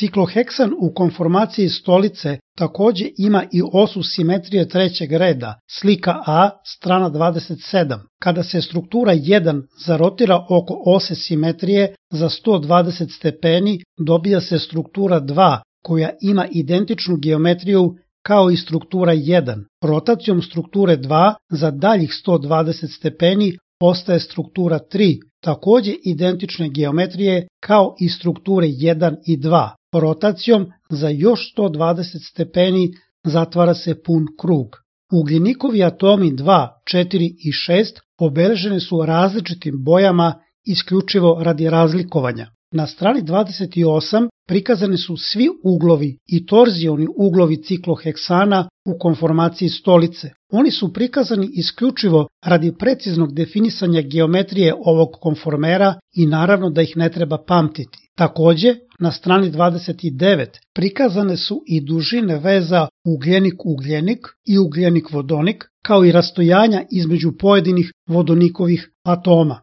Cikloheksan u konformaciji stolice takođe ima i osu simetrije trećeg reda, slika A, strana 27. Kada se struktura 1 zarotira oko ose simetrije za 120 stepeni, dobija se struktura 2, koja ima identičnu geometriju kao i struktura 1. Rotacijom strukture 2 za daljih 120 stepeni postaje struktura 3, takođe identične geometrije kao i strukture 1 i 2. Rotacijom za još 120 stepeni zatvara se pun krug. Ugljenikovi atomi 2, 4 i 6 obeleženi su različitim bojama isključivo radi razlikovanja. Na strani 28 prikazani su svi uglovi i torzioni uglovi cikloheksana u konformaciji stolice. Oni su prikazani isključivo radi preciznog definisanja geometrije ovog konformera i naravno da ih ne treba pamtiti. Takođe, na strani 29 prikazane su i dužine veza ugljenik-ugljenik i ugljenik-vodonik, kao i rastojanja između pojedinih vodonikovih atoma.